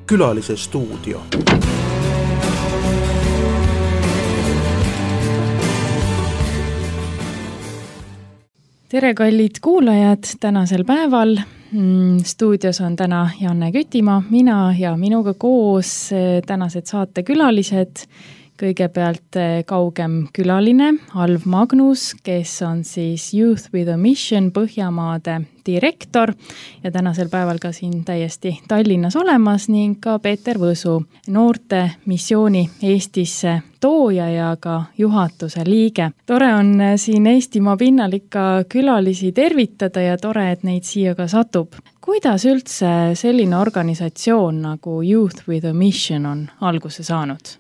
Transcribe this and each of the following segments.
Külalise stuudio. Tere kallid kuulajad tänasel päeval. Stuudios on täna Janne Kütimaa, mina ja minuga koos tänased saatekülalised. Kõigepealt kaugem külaline Alv Magnus, kes on siis Youth with a Mission Põhjamaade direktor ja tänasel päeval ka siin täiesti Tallinnas olemas ning ka Peeter Võsu, noorte missiooni Eestisse tooja ja ka juhatuse liige. Tore on siin Eestimaa pinnal ikka külalisi tervitada ja tore, et neid siia ka satub. Kuidas üldse selline organisatsioon nagu Youth with a Mission on alguse saanud?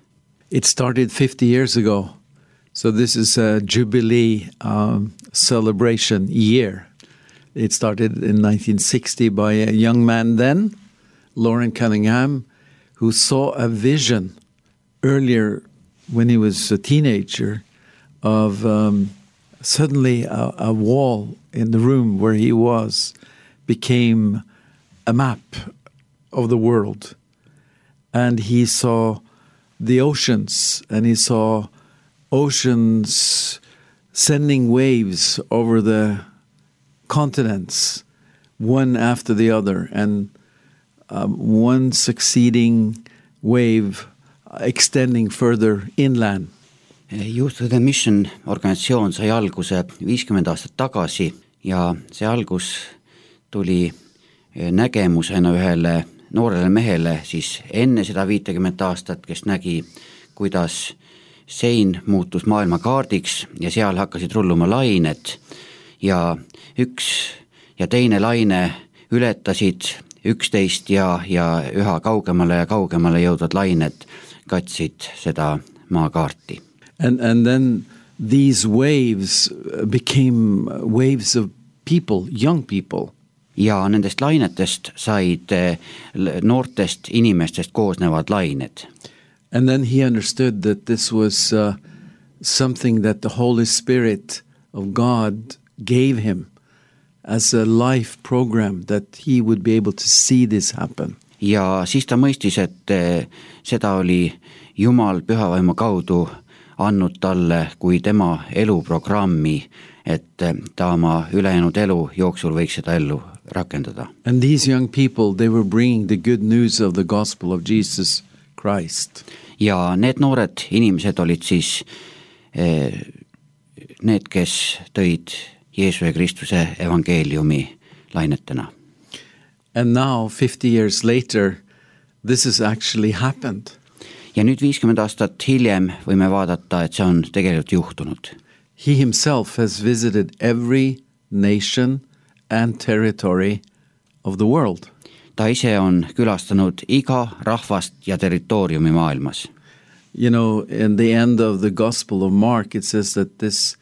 It started 50 years ago, so this is a Jubilee celebration year. It started in 1960 by a young man then, Lauren Cunningham, who saw a vision earlier when he was a teenager of suddenly a wall in the room where he was became a map of the world. And he saw the oceans, and he saw oceans sending waves over the continents, one after the other, and one succeeding wave extending further inland. Youth with a Mission organisatsioon sai alguse 50 aastat tagasi ja see algus tuli nägemusena ühele noorele mehele siis enne seda 50 aastat, kes nägi, kuidas sein muutus maailma kaardiks ja seal hakkasid rulluma lained ja üks ja teine laine ületasid 11 ja üha kaugemale ja kaugemale jõudvad lained katsid seda maakaarti. And then these waves became waves of people, young people. Ja nendest lainetest said noortest inimestest koosnevad lained. And then he understood that this was something that the Holy Spirit of God gave him as a life program, that he would be able to see this happen. Ja siis ta mõistis, et seda oli Jumal pühavaimu kaudu andnud talle kui tema eluprogrammi, et ta oma ülejäänud elu jooksul võiks seda ellu rakendada. And these young people, they were bringing the good news of the gospel of Jesus Christ. Ja need noored inimesed olid siis need, kes tõid Jeesuse Kristuse evangeeliumi lainetena. And now, 50 years later, this has actually happened. Ja nüüd 50 aastat hiljem võime vaadata, et see on tegelikult juhtunud. He himself has visited every nation and territory of the world. Ta ise on külastanud iga rahvast ja territooriumi maailmas. You know, in the end of the Gospel of Mark, it says that this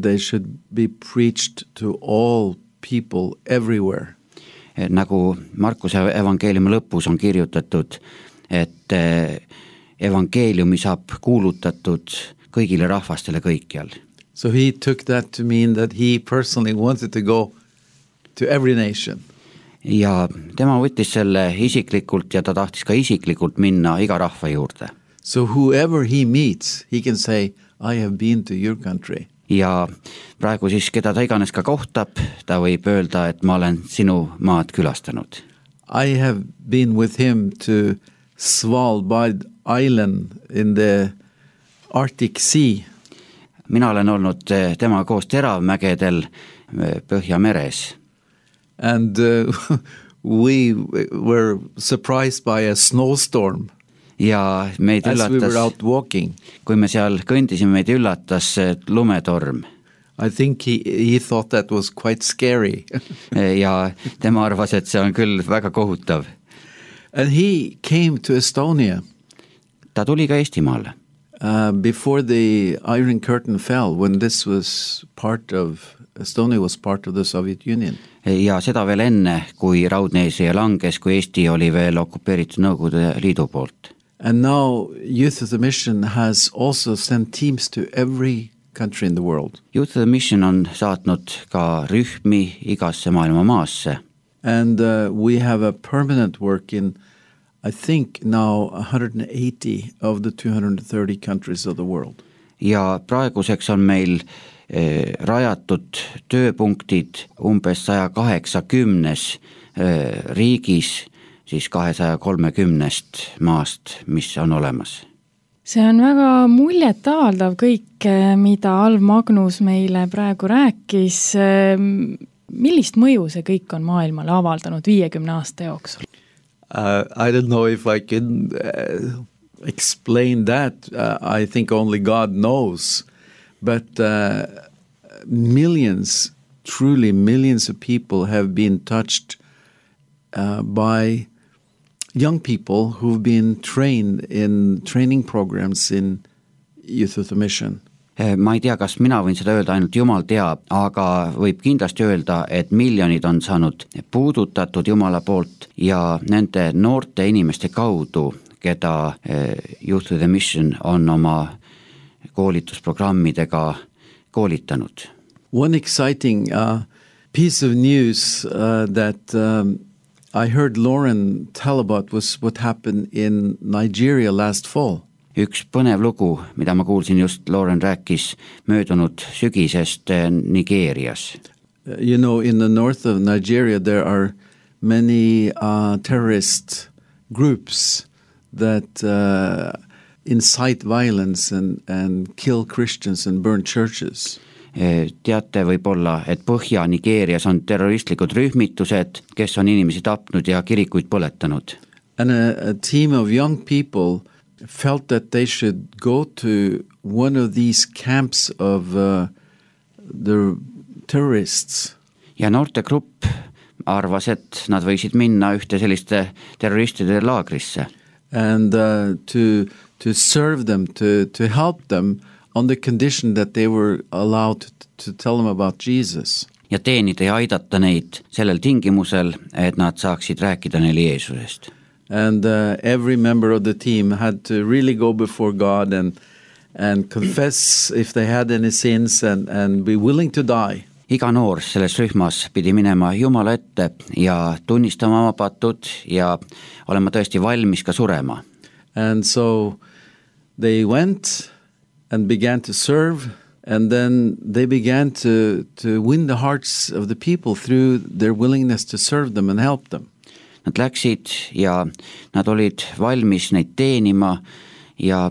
they should be preached to all people everywhere. Nagu Markuse evangeeliumi lõpus on kirjutatud, et evangeeliumi saab kuulutatud kõigile rahvastele kõikjal. So he took that to mean that he personally wanted to go to every nation. Ja tema võttis selle isiklikult ja ta tahtis ka isiklikult minna iga rahva juurde. So whoever he meets, he can say, I have been to your country. Ja praegu siis, keda ta iganes ka kohtab, ta võib öelda, et ma olen sinu maad külastanud. I have been with him to Svalbard Island in the Arctic Sea. Mina olen olnud tema koos Teravmägedel Põhjameres. And we were surprised by a snowstorm. Ja meid as üllatas, we were out walking. Kui me seal kõndisime, meid üllatas lumetorm. I think he thought that was quite scary. Ja tema arvas, et see on küll väga kohutav. And he came to Estonia. Ta tuli ka Eestimaale. Before the Iron Curtain fell, when this was Estonia was part of the Soviet Union. Ja seda veel enne, kui Raudne eesriie langes, kui Eesti oli veel okupeeritud Nõukogude Liidu poolt. And now Youth of the Mission has also sent teams to every country in the world. Youth of the Mission on saatnud ka rühmi igasse maailma maasse. And we have a permanent work in, I think, now 180 of the 230 countries of the world. Ja praeguseks on meil rajatud tööpunktid umbes 180 riigis, siis 230 maast, mis on olemas. See on väga muljetavaldav kõik, mida Alv Magnus meile praegu rääkis. Millist mõju see kõik on maailmale avaldanud 50 aasta jooksul? I don't know if I can explain that. I think only God knows. But truly millions of people have been touched by young people who've been trained in training programs in Youth with a Mission. Ma ei tea, kas mina võin seda öelda, ainult Jumal teab, aga võib kindlasti öelda, et miljonid on saanud puudutatud Jumala poolt ja nende noorte inimeste kaudu, keda Youth with a Mission on oma koolitusprogrammidega koolitanud. One exciting piece of news that I heard Lauren tell about was what happened in Nigeria last fall. Üks põnev lugu, mida ma kuulsin just, Lauren rääkis möödunud sügisest Nigeerias. You know, in the north of Nigeria there are many terrorist groups that incite violence and kill Christians and burn churches. Teate võib-olla, et Põhja-Nigeerias on terroristlikud rühmitused, kes on inimesi tapnud ja kirikuid põletanud. And a team of young people felt that they should go to one of these camps of the terrorists. Ja noortegrupp arvas, et nad võisid minna ühte selliste terroristide laagrisse. And to serve them, to help them on the condition that they were allowed to tell them about Jesus. Ja teenida ja aidata neid sellel tingimusel, et nad saaksid rääkida neile Jeesusest. And every member of the team had to really go before God and confess if they had any sins and be willing to die. Iga noor selles rühmas pidi minema Jumala ette ja tunnistama oma patud ja olema tõesti valmis ka surema. And so they went and began to serve, and then they began to win the hearts of the people through their willingness to serve them and help them. Nad läksid ja nad olid valmis neid teenima ja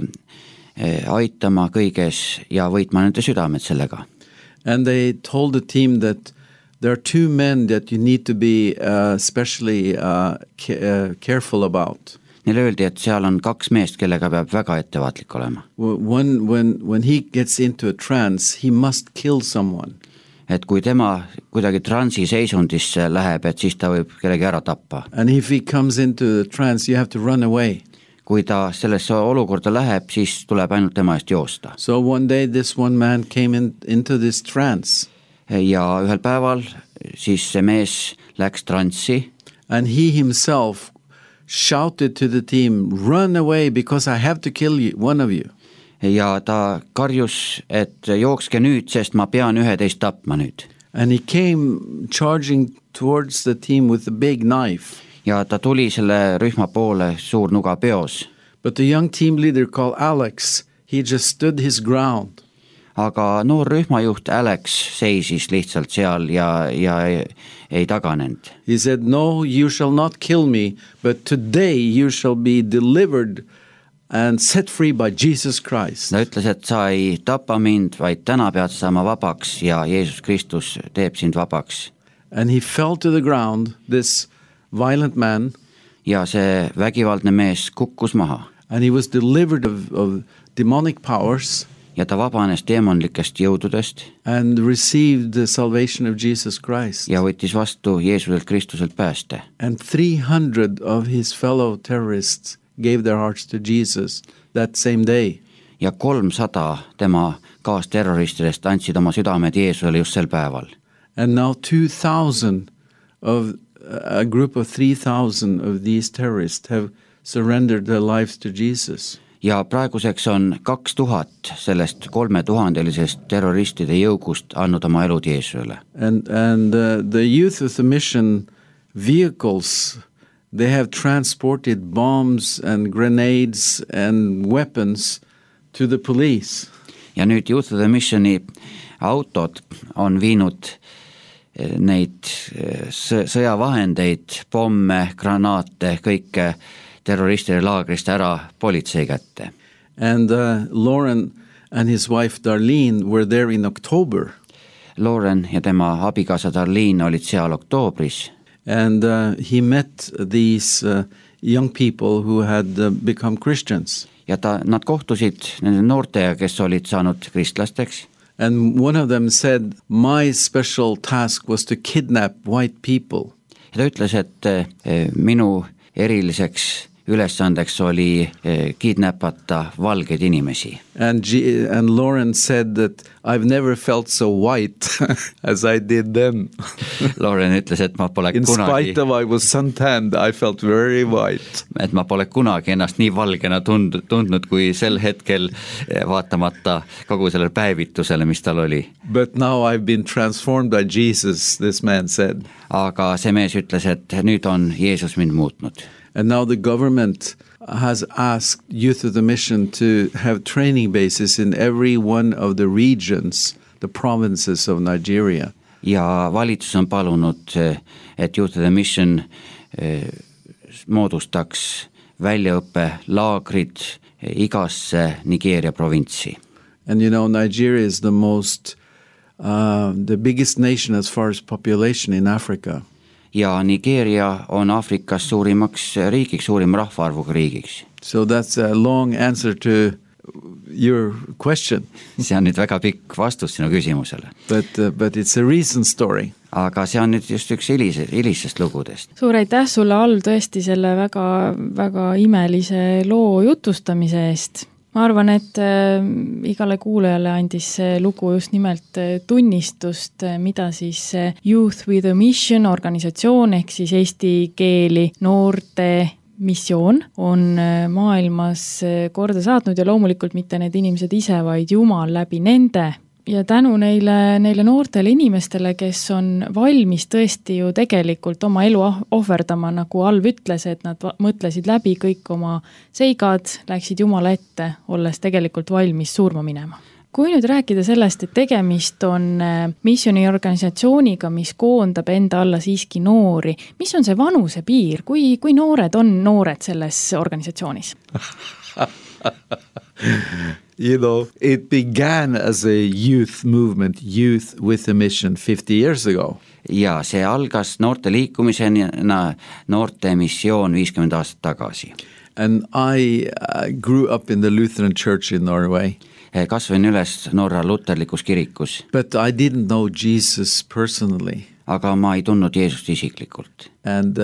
aitama kõiges ja võitma nende südamed sellega. And they told the team that there are two men that you need to be especially careful about. Neile öeldi, et seal on kaks meest, kellega peab väga ettevaatlik olema. When he gets into a trance, he must kill someone. Et kui tema kuidagi transi seisundisse läheb, et siis ta võib kellegi ära tappa. And if he comes into the trance, you have to run away. Kui ta sellesse olukorda läheb, siis tuleb ainult tema eest joosta. So one day this one man came into this trance. Ja ühel päeval siis see mees läks transi. And he himself shouted to the team, run away because I have to kill you, one of you. Ja ta karjus, et jookske nüüd, sest ma pean 11 tapma nüüd. And he came charging towards the team with a big knife. Ja ta tuli selle rühma poole suur nuga peos. But the young team leader called Alex, he just stood his ground. Aga noor rühmajuht Alex seisis lihtsalt seal ja ei taganenud. He said, no, you shall not kill me, but today you shall be delivered and set free by Jesus Christ. Ta ütles, et sa ei tapa mind, vaid täna pead saama vabaks ja Jeesus Kristus teeb sind vabaks. And he fell to the ground, this violent man. Ja see vägivaldne mees kukkus maha. And he was delivered of demonic powers. Ja ta vabanes deemonlikest jõududest. And received the salvation of Jesus Christ. Ja võttis vastu Jeesuselt Kristuselt pääste. And 300 of his fellow terrorists gave their hearts to Jesus that same day. Ja 300 tema kaasterroristidest andsid oma südamed Jeesusele just sel päeval. And now 2,000 of a group of 3,000 of these terrorists have surrendered their lives to Jesus. Ja praeguseks on 2000 sellest 3000-lisest terroristide jõugust andnud oma elud Jeesusele. And the Youth with a Mission vehicles. They have transported bombs and grenades and weapons to the police. Ja nüüd Youth of the Missioni autod on viinud neid sõjavahendeid, pomme, granaate, kõike terroristide laagrist ära politsei kätte. And Lauren and his wife Darlene were there in October. Lauren ja tema abikaasa Darlene olid seal oktoobris. And he met these young people who had become Christians. Ja nad kohtusid nende noortega, kes olid saanud kristlasteks. And one of them said, my special task was to kidnap white people. Ja ta ütles, et minu eriliseks ülesandeks oli kidnappata valgeid inimesi. And Lauren said that I've never felt so white as I did then. Lauren ütles, et ma pole In kunagi, spite of I was suntanned, I felt very white. et ma pole kunagi ennast nii valgena tundnud kui sel hetkel, vaatamata kogu sellele päevitusele, mis tal oli. But now I've been transformed by Jesus, this man said. Aga see mees ütles, et nüüd on Jeesus mind muutnud. And now the government has asked Youth of the Mission to have training bases in every one of the regions, the provinces of Nigeria. Ja valitsus on palunud, et Youth of the Mission moodustaks väljaõppelaagrid igasse Nigeeria provintsi. And you know, Nigeria is the biggest nation as far as population in Africa. Ja Nigeeria on Aafrikas suurimaks riigiks, suurim rahvaarvuga riigiks. So that's a long answer to your question. See on nüüd väga pikk vastus sinu küsimusele. But it's a recent story. Aga see on nüüd just üks hilisest lugudest. Suur aitäh sulle, Al, tõesti selle väga, väga imelise loo jutustamise eest. Ma arvan, et igale kuulajale andis see lugu just nimelt tunnistust, mida siis Youth with a Mission organisatsioon ehk siis eesti keeli noorte missioon on maailmas korda saatnud ja loomulikult mitte need inimesed ise, vaid Jumal läbi nende. Ja tänu neile noortele inimestele, kes on valmis tõesti ju tegelikult oma elu ohverdama, nagu Alv ütles, et nad mõtlesid läbi kõik oma seigad, läksid Jumala ette, olles tegelikult valmis surma minema. Kui nüüd rääkida sellest, et tegemist on missioniorganisatsiooniga, mis koondab enda alla siiski noori, mis on see vanuse piir? Kui noored on noored selles organisatsioonis? You know, it began as a youth movement, Youth with a Mission 50 years ago. Ja see algas noorte liikumisena, noorte missioon 50 aastat tagasi. And I grew up in the Lutheran Church in Norway. Kasvasin üles Norra luterlikus kirikus. But I didn't know Jesus personally. Aga ma ei tundnud Jeesust isiklikult. And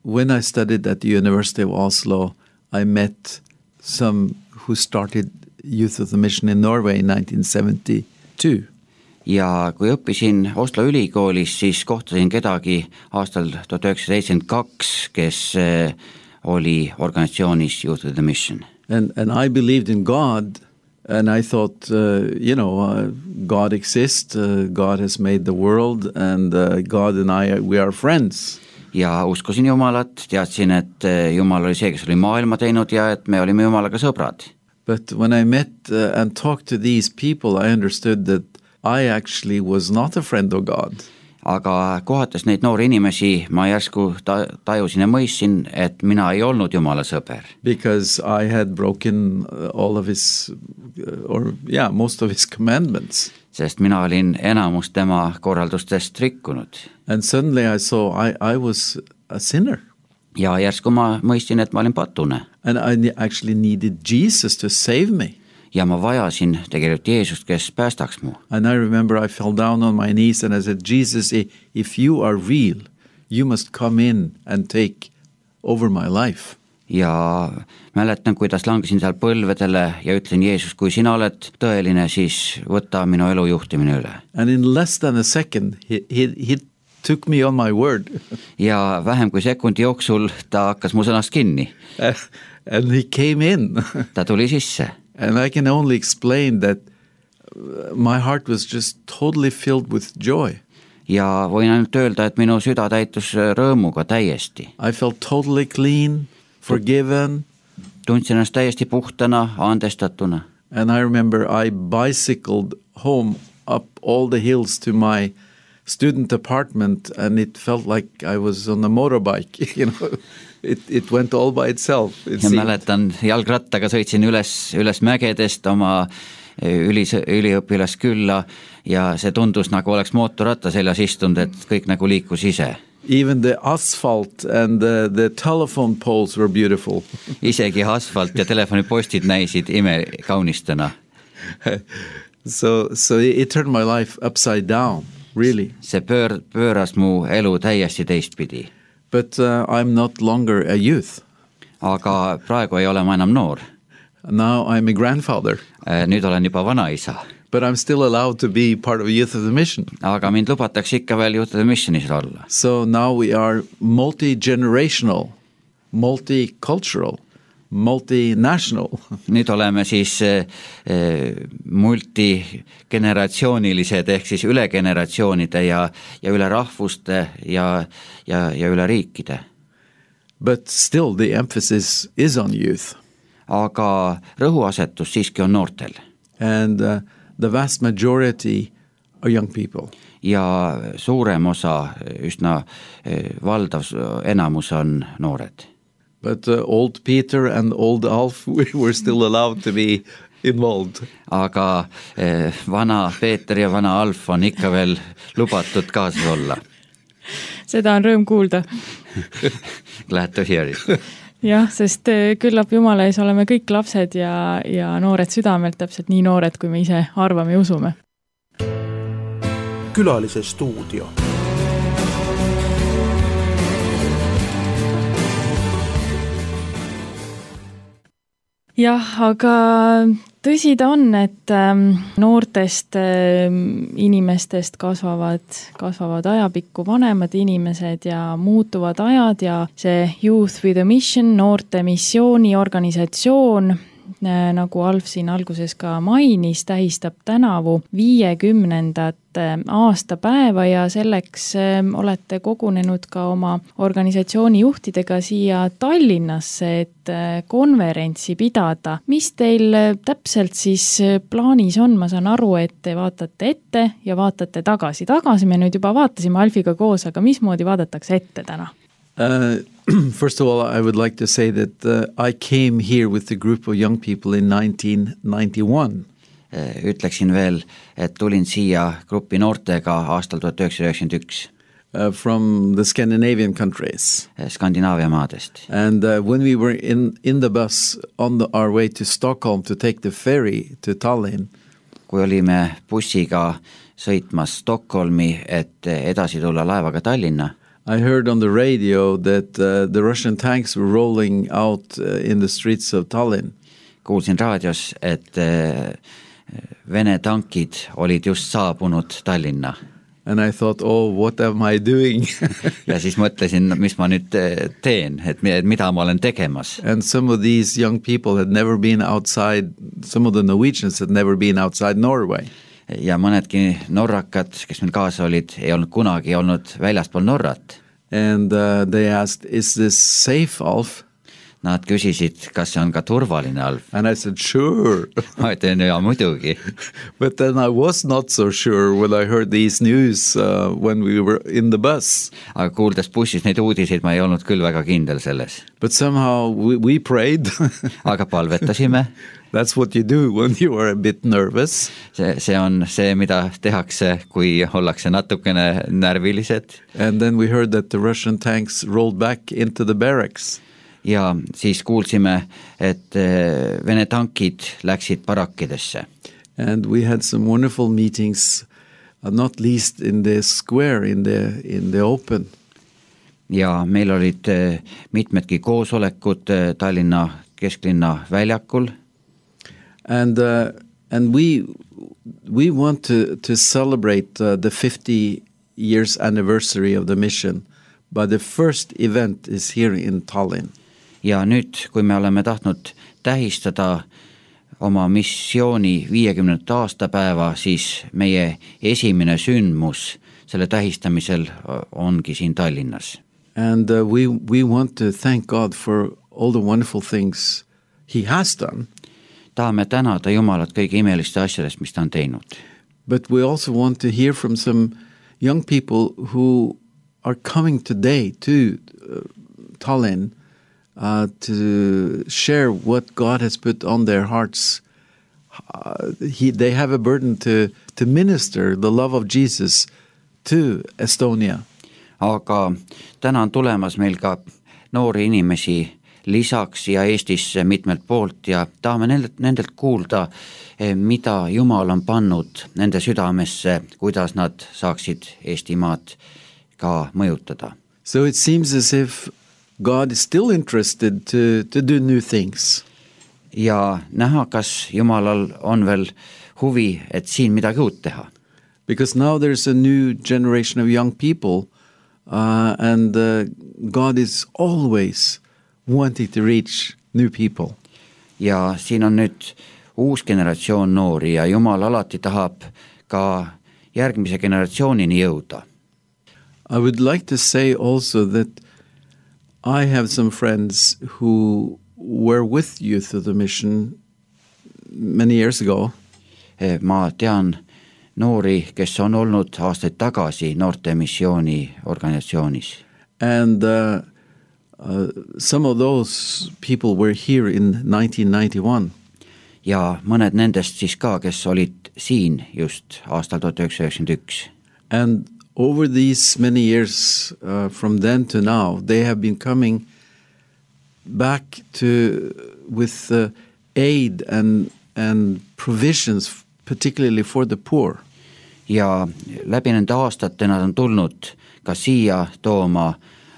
when I studied at the University of Oslo, I met some who started Youth of the Mission in Norway in 1972. Ja kui õppisin Oslo ülikoolis, siis kohtasin kedagi aastal 1972, kes oli organisatsioonis Youth of the Mission. And I believed in God, and I thought, God exists, God has made the world, and God and we are friends. Ja uskosin Jumalat, teadsin, et Jumal oli see, kes oli maailma teinud ja et me olime Jumalaga sõbrad. But when I met and talked to these people, I understood that I actually was not a friend of God. Aga kohates neid noori inimesi, ma järsku tajusin ja mõistsin, et mina ei olnud Jumala sõber. Because I had broken all of his, most of his commandments. Sest mina olin enamus tema korraldustest rikkunud. And suddenly I saw I was a sinner. Ja järsku ma mõistsin, et ma olin patune. And I actually needed Jesus to save me. Ja ma vajasin tegelikult Jeesust, kes päästaks mu. And I remember I fell down on my knees and I said, Jesus, if you are real, you must come in and take over my life. Ja mäletan, kuidas langesin seal põlvedele ja ütlen, Jeesus, kui sina oled tõeline, siis võta minu elu juhtimine üle. And in less than a second, he took me on my word. Ja vähem kui sekundi jooksul ta hakkas mu sõnast kinni. And he came in. Ta tuli sisse. And I can only explain that my heart was just totally filled with joy. ja võin ainult öelda, et minu süda täitus rõõmuga täiesti. I felt totally clean, forgiven. Tundsin ennast täiesti puhtana, andestatuna. And I remember I bicycled home up all the hills to my student apartment, and it felt like I was on a motorbike, you know. It went all by itself. Ja mäletan, jalgrattaga sõitsin üles mägedest oma üliõpilaskülla ja see tundus nagu oleks mootorratta seljas istunud, et kõik nagu liikus ise. Even the asphalt and the telephone poles were beautiful. Isegi asfalt ja telefonipostid näisid imekaunistena. So it turned my life upside down, really. See pööras mu elu täiesti teistpidi. But I'm not longer a youth. Aga praegu ei ole ma enam noor. Now I'm a grandfather. Nüüd olen juba vanaisa. But I'm still allowed to be part of Youth of the Mission. Aga mind lubatakse ikka veel Youth of the Missionis olla. So now we are multi-generational, multicultural, multinational. Nüüd oleme siis multigeneratsioonilised ehk siis üle generatsioonide ja üle rahvuste ja üle riikide. But still the emphasis is on youth. Aga rõhuasetus siiski on noortel. And the vast majority are young people. Ja suurem osa, üsna valdav enamus on noored. But old Peter and old Alf were still allowed to be involved. Aga vana Peeter ja vana Alf on ikka veel lubatud kaasas olla. Seda on rõõm kuulda. Glad to hear it. Jah, sest küllap Jumala ees oleme kõik lapsed ja noored südamelt, täpselt nii noored, kui me ise arvame ja usume. Külalise stuudio. Jah, aga tõsi ta on, et noortest inimestest kasvavad ajapikku vanemad inimesed ja muutuvad ajad ja see Youth with a Mission, noorte missiooniorganisatsioon, nagu Alf siin alguses ka mainis, tähistab tänavu 50. aastapäeva ja selleks olete kogunenud ka oma organisatsiooni juhtidega siia Tallinnasse, et konverentsi pidada. Mis teil täpselt siis plaanis on? Ma saan aru, et te vaatate ette ja vaatate tagasi. Tagasi me nüüd juba vaatasime Alfiga koos, aga mismoodi vaadatakse ette täna? First of all, I would like to say that I came here with a group of young people in 1991. Ütleksin veel, et tulin siia gruppi noortega aastal 1991. From the Scandinavian countries. Skandinaavia maadest. And when we were in the bus on our way to Stockholm to take the ferry to Tallinn. Kui olime bussiga sõitmas Stockholmi, et edasi tulla laevaga Tallinna. I heard on the radio that the Russian tanks were rolling out in the streets of Tallinn. Kuulsin raadios, et Vene tankid olid just saabunud Tallinna. And I thought, oh, what am I doing? Ja siis mõtlesin, mis ma nüüd teen, et mida ma olen tegemas. And some of these young people had never been outside, some of the Norwegians had never been outside Norway. Ja mõnedki norrakad, kes meil kaasa olid, ei olnud kunagi olnud väljaspool Norrat. And they asked, is this safe, Alf? Nad küsisid, kas see on ka turvaline, Alf. And I said, sure. Ma ütlen, ja muidugi. But then I was not so sure when I heard these news when we were in the bus. Aga kuuldes bussis neid uudiseid, ma ei olnud küll väga kindel selles. But somehow we prayed. Aga palvetasime. That's what you do when you are a bit nervous. See on see, mida tehakse, kui ollakse natukene närvilised. And then we heard that the Russian tanks rolled back into the barracks. Ja siis kuulsime, et Vene tankid läksid barakkidesse. And we had some wonderful meetings, not least in the square, in the open. Ja meil olid mitmedki koosolekud Tallinna kesklinna väljakul. And we want to celebrate the 50 years anniversary of the mission, but the first event is here in Tallinn. Ja nüüd, kui me oleme tahtnud tähistada oma missiooni 50. aastapäeva, siis meie esimene sündmus selle tähistamisel ongi siin Tallinnas. And we want to thank God for all the wonderful things he has done. Tahame tänada Jumalat kõige imeliste asjadest, mis ta on teinud. But we also want to hear from some young people who are coming today to Tallinn to share what God has put on their hearts. They have a burden to minister the love of Jesus to Estonia. Aga täna on tulemas meil ka noori inimesi lisaks ja Eestisse mitmelt poolt ja tahame nendelt kuulda, mida Jumal on pannud nende südamesse, kuidas nad saaksid Eestimaad ka mõjutada. So it seems as if God is still interested to do new things. Ja näha, kas Jumalal on veel huvi, et siin midagi uut teha. Because now there's a new generation of young people and God is always wanting to reach new people. Ja siin on nüüd uus generatsioon noori ja Jumal alati tahab ka järgmise generatsioonini jõuda. I would like to say also that I have some friends who were with Youth of the Mission many years ago. Ma tean noori, kes on olnud aastaid tagasi noorte missiooni organisatsioonis. And some of those people were here in 1991. Ja mõned nendest siis ka, kes olid siin just aastal 1991. And over these many years from then to now, they have been coming back with aid and provisions, particularly for the poor. Ja läbi nende aastate nad on tulnud ka siia tooma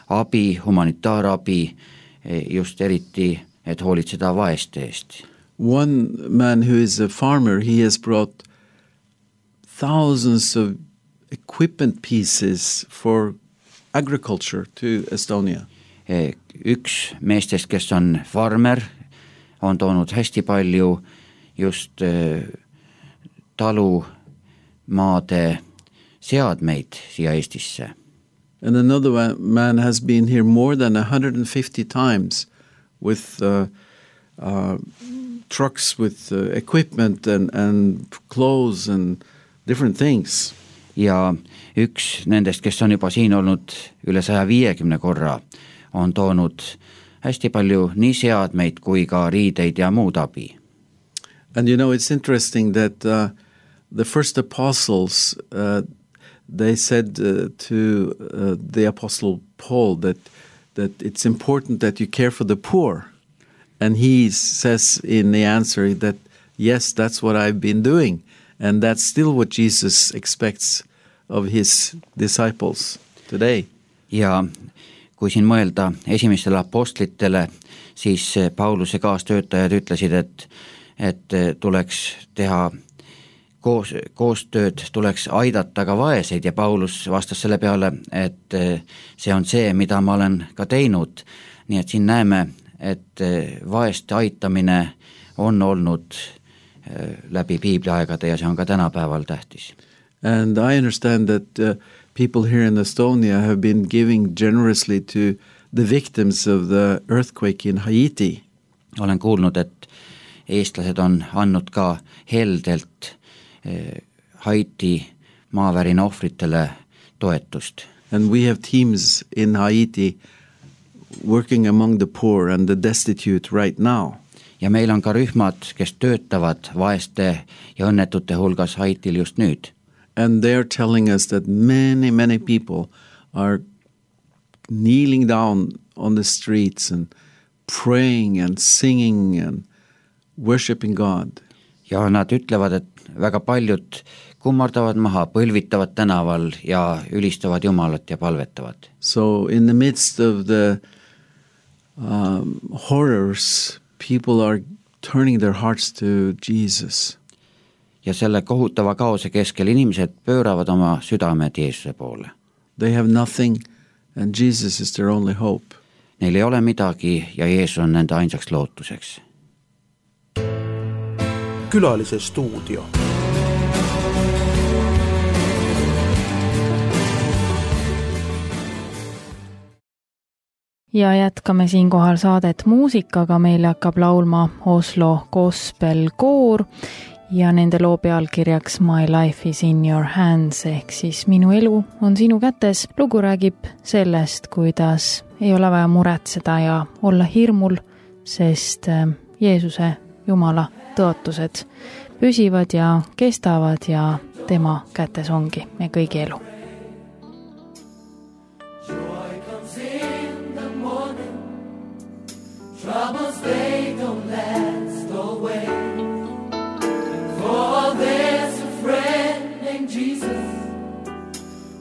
abi, humanitaarabi, just eriti, et hoolitseda vaeste eest. One man who is a farmer, he has brought thousands of equipment pieces for agriculture to Estonia. Üks meestest, kes on farmer, on toonud hästi palju just talumaade seadmeid siia Eestisse. And another man has been here more than 150 times with trucks with equipment and clothes and different things. Ja üks nendest, kes on juba siin olnud üle 150 korra, on toonud hästi palju nii seadmeid kui ka riideid ja muud abi. And you know, it's interesting that the first apostles, they said to the apostle Paul that it's important that you care for the poor. And he says in the answer that, yes, that's what I've been doing. And that's still what Jesus expects of his disciples today. Ja kui siin mõelda esimestele apostlitele, siis Pauluse kaastöötajad ütlesid, et tuleks teha koostööd, tuleks aidata ka vaeseid ja Paulus vastas selle peale, et see on see, mida ma olen ka teinud. Nii et siin näeme, et vaeste aitamine on olnud läbi piibliaegade ja see on ka tänapäeval tähtis. And I understand that people here in Estonia have been giving generously to the victims of the earthquake in Haiti. Olen kuulnud, et eestlased on andnud ka heldelt Haiti maavärina ohvritele toetust. And we have teams in Haiti working among the poor and the destitute right now. Ja meil on ka rühmad, kes töötavad vaeste ja õnnetute hulgas Haitil just nüüd. And they are telling us that many people are kneeling down on the streets and praying and singing and worshiping God. Ja nad ütlevad, et väga paljud kummardavad maha, põlvitavad tänaval ja ülistavad Jumalat ja palvetavad. So in the midst of the horrors, people are turning their hearts to Jesus. Ja selle kohutava kaose keskel inimesed pööravad oma südamed Jeesuse poole. They have nothing and Jesus is their only hope. Neil ei ole midagi ja Jeesus on nende ainsaks lootuseks. Külalise stuudio. ja jätkame siinkohal saadet muusikaga, meile hakkab laulma Oslo Gospel Koor ja nende loo pealkirjaks My life is in your hands ehk siis minu elu on sinu kätes. Lugu räägib sellest, kuidas ei ole vaja muretseda ja olla hirmul, sest Jeesuse Jumala tõotused püsivad ja kestavad ja tema kätes ongi me kõigi elu. Joy comes in the morning, troubles they don't last away. For there's a friend named Jesus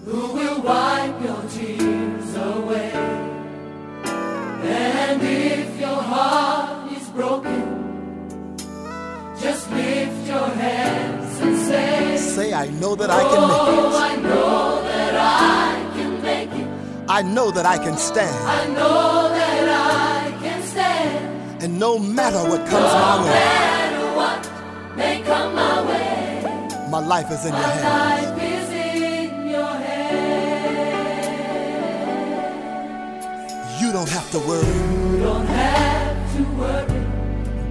who will wipe your tears away. And if your heart is broken, just lift your hands and say, I know that I can make it. Oh, I know that I can make it. I know that I can stand. I know that I can stand. And no matter what comes my way, no matter what may come my way, my life is in your hands. My life is in your hands. You don't have to worry. You don't have to worry.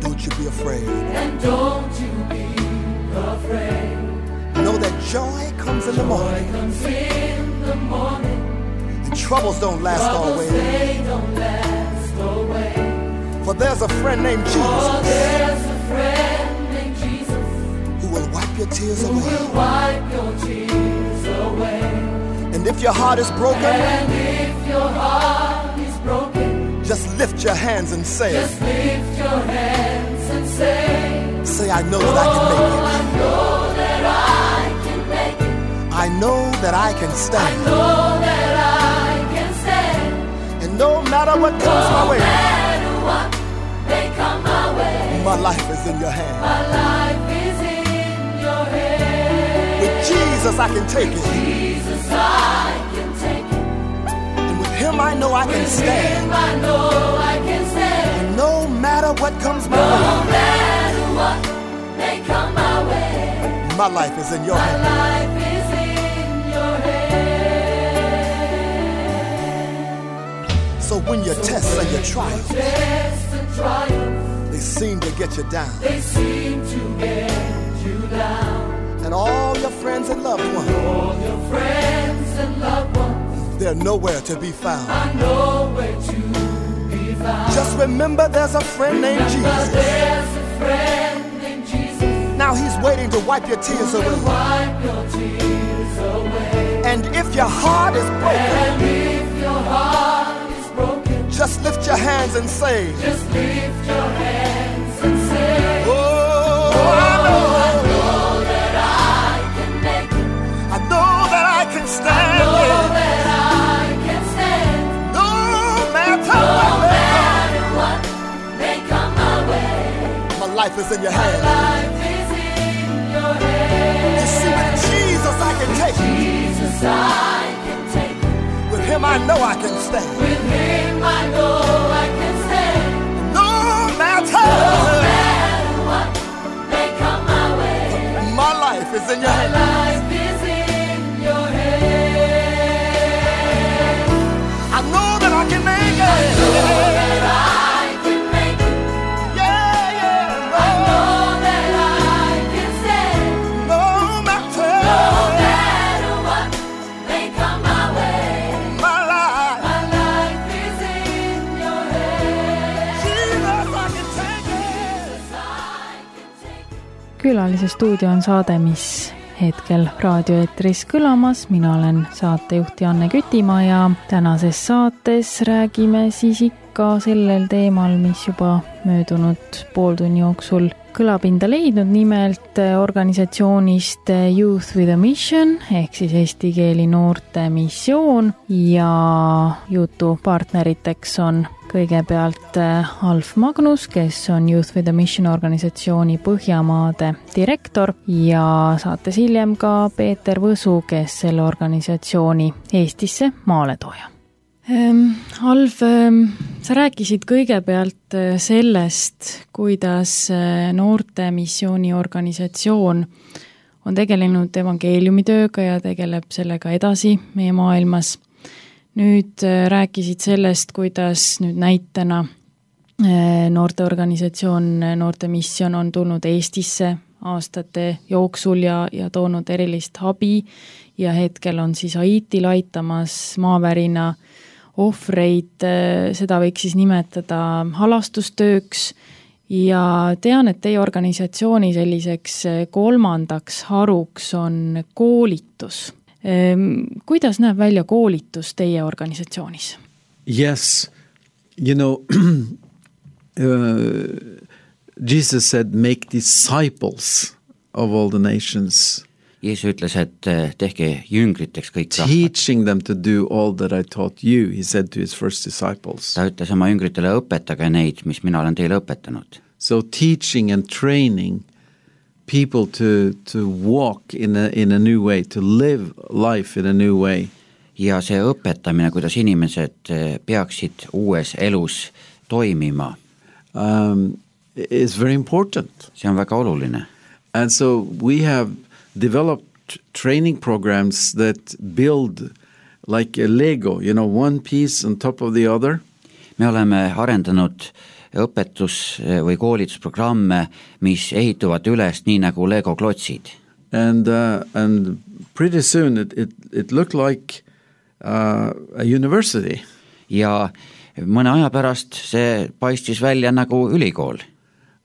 Don't you be afraid. And don't you be afraid. Know that joy comes in the morning. Joy comes in the morning. And troubles don't last always. They don't last always. For there's a friend named Jesus. For there's a friend named Jesus who will wipe your tears away. Who will wipe your tears away. And if your heart is broken, and if your heart is broken, just lift your hands and say, just lift your hands and say, I know that I can make it. I know that I can make it. I know that I can stand. I know that I can stand. And no matter what comes my way, no matter what may come my way, my life is in your hands. My life is in your hands. With Jesus I can take it. With Jesus I can take it. And with Him I know I can stand. With Him I know I can stand. And no matter what comes my way, no matter what may come my way, my life is in your hands. My life is in your hands. So when your tests and your trials, they seem to get you down. They seem to get you down. And all your friends and loved ones, all your friends and loved ones, they're nowhere to be found. Are nowhere to be found. Just remember there's a friend named Jesus. There's a friend named Jesus. Now He's waiting to wipe your tears away. Wipe your tears away. And if your heart is broken, and if your heart is broken, just lift your hands and say, just lift your hands and say, oh, I know that I can make it. I know that I can stand. I know that I can stand. No matter what may come my way, my life is in your hands. My life is in your hands. You see, with Jesus I can take it. Jesus I can take it. With Him I know I can stand. With Him I know I can stand. No matter what may come my way, my life is in your hands. My life is in your hands. I know that I can make it. I know that I can make it. Yeah, yeah. I know that I can stand. No matter what may come my way, my life is in your hands. Jesus, I can take it. Külalise stuudio on saade, mis hetkel raadioeetris kõlamas. Mina olen saatejuht Janne Kütimaa ja tänases saates räägime siis ikka sellel teemal, mis juba möödunud pooltunni jooksul kõlapinda leidnud, nimelt organisatsioonist Youth with a Mission ehk siis eesti keeli noorte missioon ja jutu partneriteks on kõigepealt Alf Magnus, kes on Youth with a Mission organisatsiooni Põhjamaade direktor ja saates hiljem ka Peeter Võsu, kes selle organisatsiooni Eestisse maale tooja. Alf, sa rääkisid kõigepealt sellest, kuidas noorte missiooni organisatsioon on tegelenud evangeeliumitööga ja tegeleb sellega edasi meie maailmas. Nüüd rääkisid sellest, kuidas nüüd näitena noorteorganisatsioon Noorte Mission on tulnud Eestisse aastate jooksul ja toonud erilist abi ja hetkel on siis Haitil aitamas maavärina ohvreid, seda võiks siis nimetada halastustööks ja tean, et teie organisatsiooni selliseks kolmandaks haruks on koolitus. Kuidas näeb välja koolitus teie organisatsioonis? Yes, Jesus said, make disciples of all the nations. Jeesus ütles, et tehke jüngriteks kõik rahvad. Teaching them to do all that I taught you, he said to his first disciples. Ta ütles oma jüngritele, õpetage neid, mis mina olen teile õpetanud. So teaching and training people to walk in a new way, to live life in a new way. Ja see õpetamine, kuidas inimesed peaksid uues elus toimima, is very important. See on väga oluline. And so we have developed training programs that build like a Lego, one piece on top of the other. Me oleme arendanud õpetus- või koolitusprogramme, mis ehituvad üles nii nagu Lego klotsid. And pretty soon it looked like a university. Ja mõne aja pärast see paistis välja nagu ülikool.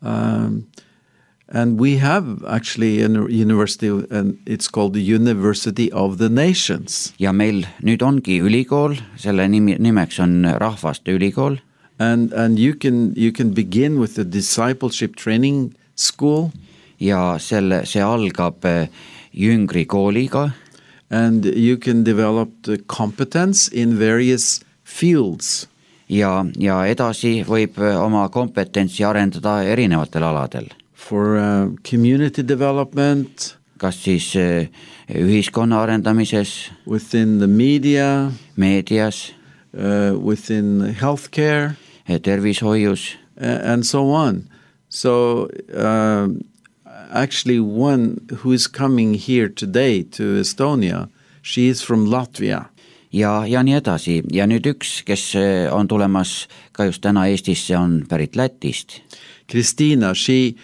And we have actually a university, and it's called the University of the Nations. Ja meil nüüd ongi ülikool, selle nimeks on Rahvaste Ülikool. And you can begin with the discipleship training school. Ja see algab jüngri kooliga. And you can develop the competence in various fields. Ja edasi võib oma kompetentsi arendada erinevatel aladel. For community development. Kas siis ühiskonna arendamises. Within the media. Meedias. Within healthcare. Tervishoius. And so on. So actually one who is coming here today to Estonia, she is from Latvia. Ja nii edasi. Ja nüüd üks, kes on tulemas ka just täna Eestisse, on pärit Lätist. Kristina, she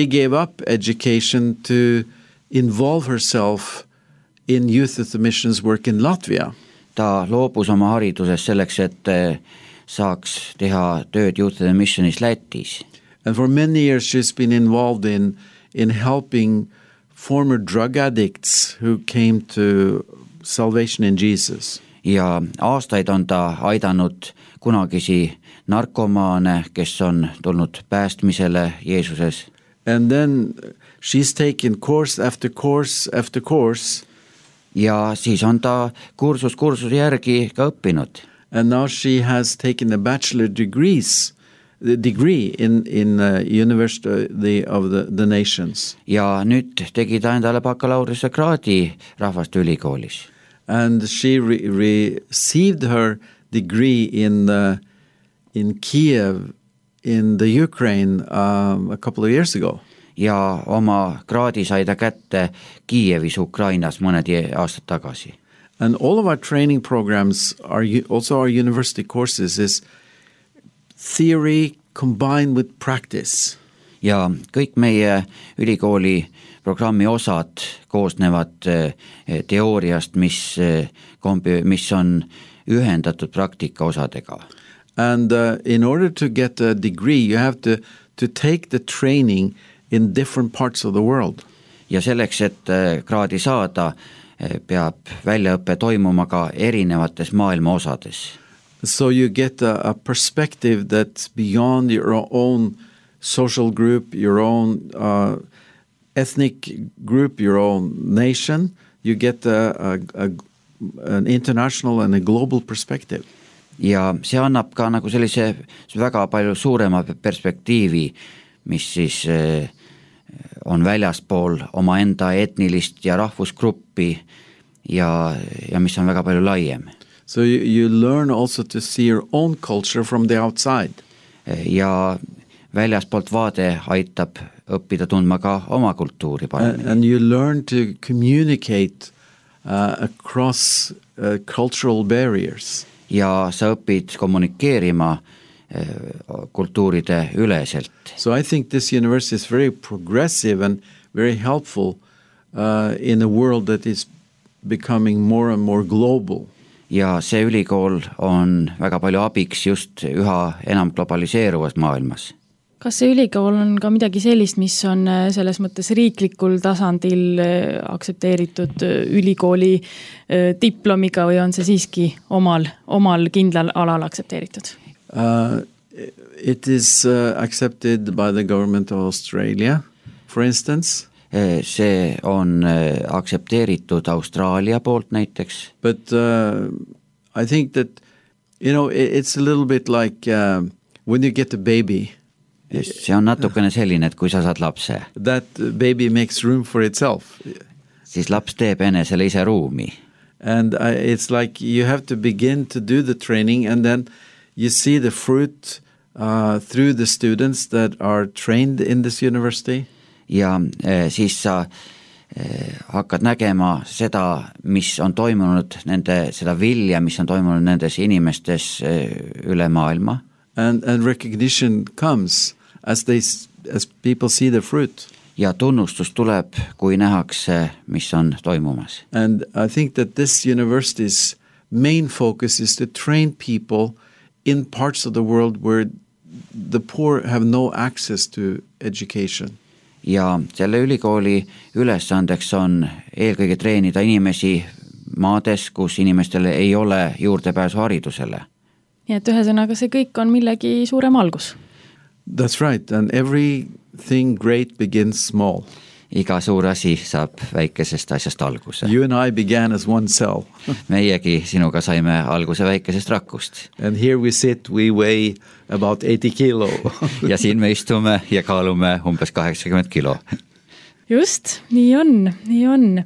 gave up education to involve herself in Youth of the Missions work in Latvia. Ta loobus oma hariduses selleks, et saaks teha tööd Youth of the Missionis Lätis. And for many years she's been involved in helping former drug addicts who came to salvation in Jesus. Ja aastaid on ta aidanud kunagisi narkomaane, kes on tulnud päästmisele Jeesuses. And then she's taken course after course after course. Ja siis on ta kursuse järgi ka õppinud. And now she has taken a bachelor degree in University of the Nations. Ja nüüd tegi ta endale bakalaureuse kraadi Rahvaste Ülikoolis. And she received her degree in Kiev in the Ukraine a couple of years ago. Ja oma kraadi sai ta kätte Kiievis Ukrainas mõned aastad tagasi. And all of our training programs are also our university courses is theory combined with practice. Ja kõik meie ülikooli programmi osad koosnevad teooriast, mis on ühendatud praktika osadega. And in order to get a degree, you have to take the training in different parts of the world. Ja selleks, et kraadi saada, peab väljaõppe toimuma ka erinevates maailma osades. So you get a perspective that's beyond your own social group, your own ethnic group, your own nation. You get an international and a global perspective. Ja see annab ka nagu sellise väga palju suurema perspektiivi, mis siis on väljaspool oma enda etnilist ja rahvusgruppi ja mis on väga palju laiem. So you learn also to see your own culture from the outside. Ja väljaspoolt vaade aitab õppida tundma ka oma kultuuri paremini. And you learn to communicate across cultural barriers. ja sa õpid kommunikeerima kultuuride üleselt. So I think this university is very progressive and very helpful in a world that is becoming more and more global. Ja see ülikool on väga palju abiks just üha enam globaliseeruvas maailmas. Kas see ülikool on ka midagi sellist, mis on selles mõttes riiklikul tasandil aksepteeritud ülikooli diplomiga või on see siiski omal kindlal alal aksepteeritud? It is accepted by the government of Australia, for instance. See on aksepteeritud Austraalia poolt näiteks. But I think that, it's a little bit like when you get a baby. See on natukene selline, et kui sa saad lapse. That baby makes room for itself. Siis laps teeb enesele ise ruumi. And it's like you have to begin to do the training and then you see the fruit through the students that are trained in this university. Ja siis sa hakkad nägema seda, mis on toimunud seda vilja, mis on toimunud nendes inimestes üle maailma. And recognition comes as people see the fruit. Ja tunnustus tuleb, kui nähakse, mis on toimumas. And I think that this university's main focus is to train people in parts of the world where the poor have no access to education. Ja selle ülikooli ülesandeks on eelkõige treenida inimesi maades, kus inimestele ei ole juurdepääsu haridusele. Nii et ühesõnaga see kõik on millegi suurem algus. That's right, and everything great begins small. Iga suur asi saab väikesest asjast alguse. You and I began as one cell. Meiegi sinuga saime alguse väikesest rakust. And here we sit, we weigh about 80 kilo. Ja siin me istume ja kaalume umbes 80 kilo. Just, nii on.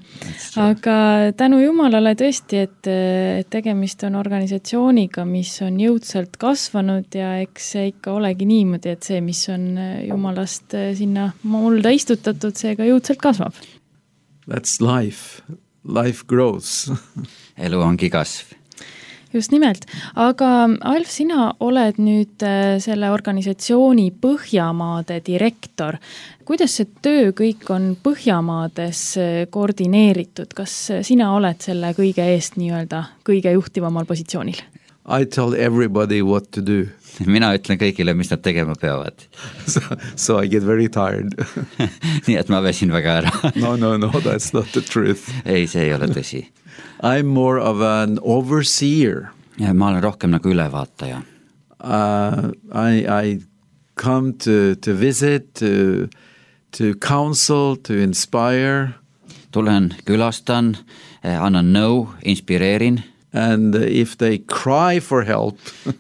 Aga tänu Jumalale tõesti, et tegemist on organisatsiooniga, mis on jõudsalt kasvanud ja eks see ikka olegi niimoodi, et see, mis on Jumalast sinna mulda istutatud, see ka jõudsalt kasvab. That's life. Life grows. Elu ongi kasv. Just nimelt, aga Alf, sina oled nüüd selle organisatsiooni Põhjamaade direktor. Kuidas see töö kõik on Põhjamaades koordineeritud? Kas sina oled selle kõige eest nii-öelda kõige juhtivamal positsioonil? I tell everybody what to do. Mina ütlen kõigile, mis nad tegema peavad. So I get very tired. Nii et ma väsin väga ära. No, that's not the truth. Ei, see ei ole tõsi. I'm more of an overseer. Ja ma olen rohkem nagu ülevaataja. I come to visit, to counsel, to inspire. Tulen, külastan, annan nõu, inspireerin. And if they cry for help,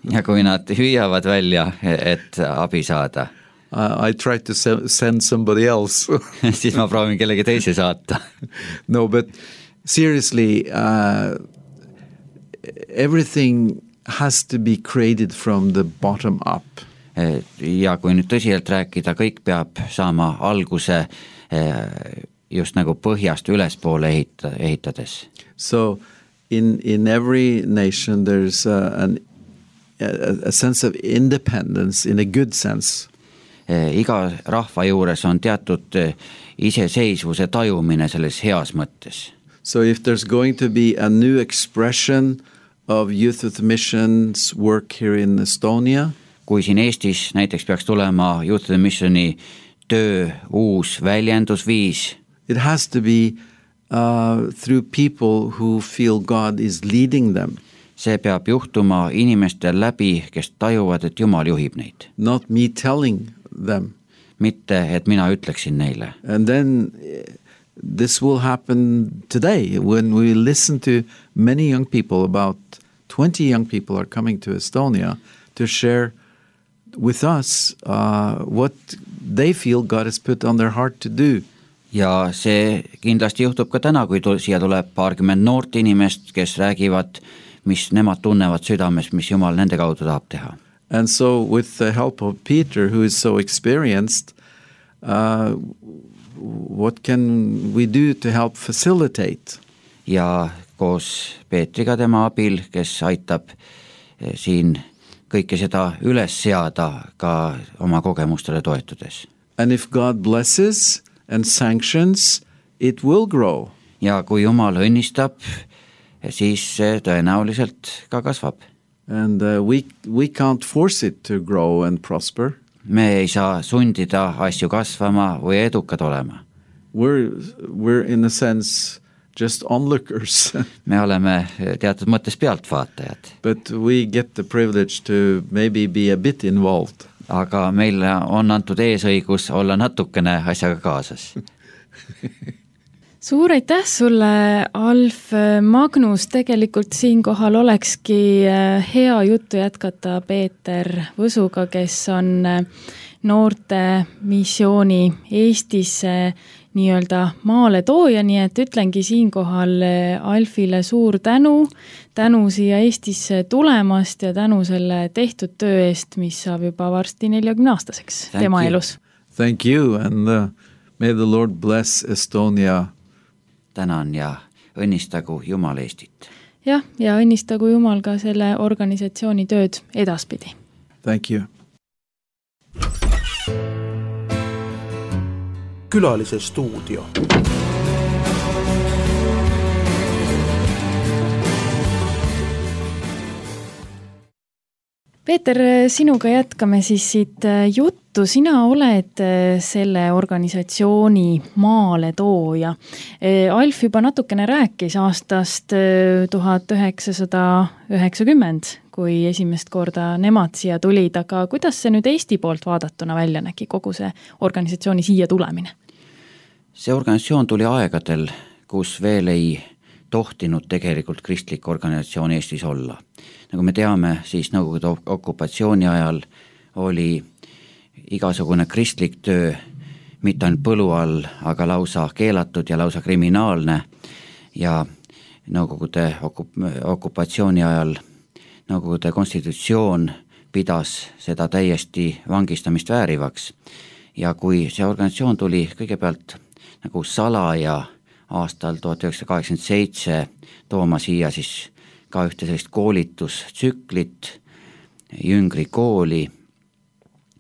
ja kui nad hüüavad välja, et abi saada, I try to send somebody else. siis ma proovin kellegi teise saata. No, but seriously, everything has to be created from the bottom up. Ja kui nüüd tõsiselt rääkida, kõik peab saama alguse just nagu põhjast ülespoole ehitades. So in every nation there's a sense of independence in a good sense. Iga rahva juures on teatud iseseisvuse tajumine selles heas mõttes. So if there's going to be a new expression of Youth with Missions work here in Estonia, kui siin Eestis näiteks peaks tulema Youth with Missioni töö uus väljendusviis, it has to be through people who feel God is leading them. See peab juhtuma inimestel läbi, kes tajuvad, et Jumal juhib neid. Not me telling them. Mitte, et mina ütleksin neile. And then this will happen today when we listen to many young people. About 20 young people are coming to Estonia to share with us what they feel God has put on their heart to do. Ja see kindlasti juhtub ka täna, kui siia tuleb paarkümmend noort inimest, kes räägivad, mis nemad tunnevad südames, mis Jumal nende kaudu tahab teha. And so with the help of Peter, who is so experienced, what can we do to help facilitate? Ja koos Peetriga tema abil, kes aitab siin kõike seda üles seada ka oma kogemustele toetudes. And if God blesses and sanctions, it will grow. Ja kui Jumal õnnistab, siis see tõenäoliselt ka kasvab. And we can't force it to grow and prosper. Me ei saa sundida asju kasvama või edukad olema. We're in a sense just onlookers. Me oleme teatud mõttes pealtvaatajad. But we get the privilege to maybe be a bit involved. Aga meile on antud eesõigus olla natukene asjaga kaasas. Suur aitäh sulle, Alf. Magnus, tegelikult siinkohal olekski hea juttu jätkata Peeter Võsuga, kes on noorte missiooni Eestisse nii-öelda maale tooja, nii et ütlengi siinkohal Alfile suur tänu siia Eestisse tulemast ja tänu selle tehtud töö eest, mis saab juba varsti 40-aastaseks tema elus. Thank you and may the Lord bless Estonia. Tänan ja õnnistagu Jumal Eestit. Ja õnnistagu Jumal ka selle organisatsiooni tööd edaspidi. Thank you. Külalise stuudio. Peeter, sinuga jätkame siis siit juttu. Sina oled selle organisatsiooni maale tooja. Alf juba natukene rääkis aastast 1990, kui esimest korda nemad siia tulid, aga kuidas see nüüd Eesti poolt vaadatuna välja nägi, kogu see organisatsiooni siia tulemine? See organisatsioon tuli aegadel, kus veel ei tohtinud tegelikult kristlik organisatsioon Eestis olla. Nagu me teame, siis Nõukogude okupatsiooni ajal oli igasugune kristlik töö mitte ainult põlu all, aga lausa keelatud ja lausa kriminaalne ja Nõukogude okupatsiooni ajal Nõukogude konstitutsioon pidas seda täiesti vangistamist väärivaks ja kui see organisatsioon tuli kõigepealt nagu salaja aastal 1987 tooma siia siis ka ühte sellist koolitustsüklit, Jüngri kooli,